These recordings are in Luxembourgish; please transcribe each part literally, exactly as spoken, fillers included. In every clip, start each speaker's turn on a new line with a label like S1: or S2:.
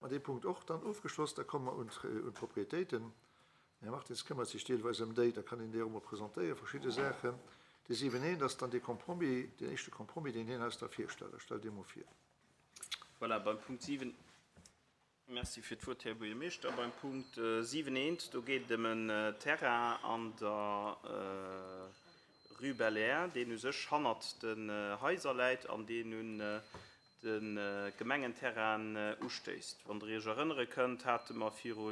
S1: Mer dee Punkt och dann ofgeschloss. Da komme mer un d'Propriétéiten. Den Här Martins këmmert sech deelweis ëm déi, da kann hien déi och emol presentéieren, verschidde Saachen. Dee siwen eent ass dann dee Compromis, deen éischte Compromis, deen hien eis da virstellt. Da stellt Dir emol vir.
S2: Voilà, beim Punkt siwen, Merci fir d'Wuert, Här Buergermeeschter. Beim Punkt siwen eent, do geet et ëm en Terrain an der Rue Belair, deen u sech hannert den Haiser läit an deen un de Gemengenterrain ustéisst. Wann Der Iech erënnere kënnt, hate mer viru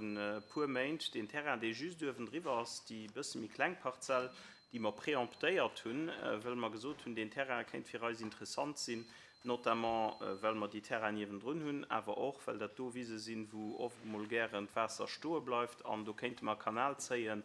S2: puer Méint deen Terrain, dee just uewendriwwer ass, déi bësse méi kleng Parzell, déi mer préemptéiert hunn, well mer gesot hunn, deen Terrain kéint fir eis interessant sinn, notamment well mer déi Terrainen niewendrun hunn, awer och well dat do Wise sinn, wou oft emol gären d'Waasser stoe bleift an do kéinte mer e Kanal zéien,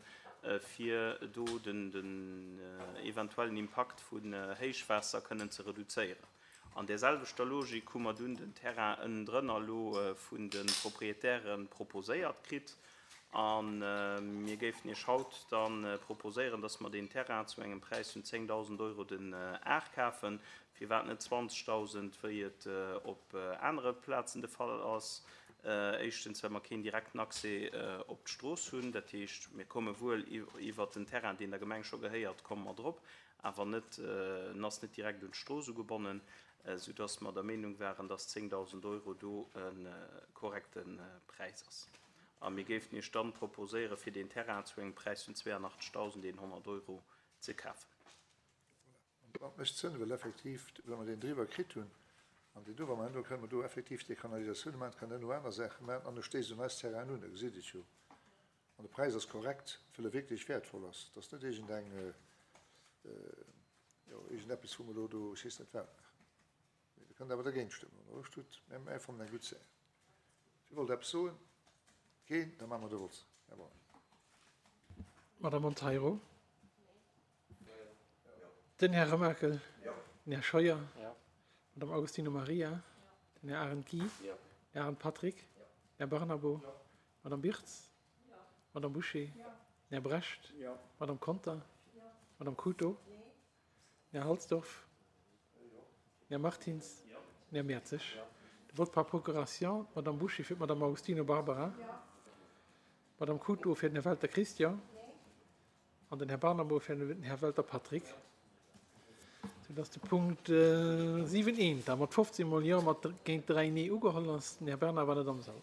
S2: fir do den eventuellen Impakt vun Héichwaasser kënnen ze reduzéieren. An där selwechter Logik hu mer dunn den Terrain ënnendrënner elo vun de Proprietäre proposéiert kritt. A mir géifen Iech haut da proposéieren, dass mer deen Terrain zu engem Präis vun zéngdausend Euro den Ar kafen. Firwat net zwanzegdausend, wéi et op anere Plazen de Fall ass? Éischtens, well mer keen direkten Accès op d'Strooss hunn. Dat heescht, mir komme wuel iwwert den Terrain, deen der Gemeng scho gehéiert, komme mer drop, awer net, en ass net direkt un d'Strooss ugebonnen, soudass mer der Meenung waren, dass zéngdausend Euro do e korrekte Präis ass. A mir géifen Iech dann proposéieren, fir deen Terrain zu engem Präis vun zweiunachtzegdausendeenhonnert Euro ze kafen.
S1: Voilà. An dat mécht Sënn, well effektiv, wa mer deen driwwer kritt hunn an deen do, wa mer herno kënnen mer do effektiv déi Kanalisatioun maachen, kann herno aner Saache maachen an e stéisst un eis Terrainen un, da gesitt et jo. An de Präis ass korrekt, well e wierklech wäertvoll ass. Et ass net iergendeng, jo, iergendeppes, wou mer elo do, ech weess net wat maachen. Mee Der kënnt awer dergéint stëmmen, wann Der Loscht hutt. Mä mir fannen eng gutt Saach. Wie wollt eppes soen? Keen? Da maache mer de Vott. Här Braun.
S3: Madame Monteiro? Den Här Remakel? Den Här Scheuer? Madame Augustino Maria? Den Här Arendt Guy? Den Här Arendt Patrick? Den Här Barnabo? Madame Birtz? Madame Bouché? Den Här Brecht? Madame Conter? Madame Couto? Den Här Halsdorf? Den Här Martins? Den Här Mertzig? De Vote par procuration, d'Madame Bouché fir d'Madame Augustino Barbara, d'Madame Couto fir den Här Welter Christian an den Här Barnabo fir den Här Welter Patrick, soudass de Punkt siwen eent da mat fofzéng mol Jo mat géint dräi Nee ugeholl ass. Den Här Bernard war net am Sall.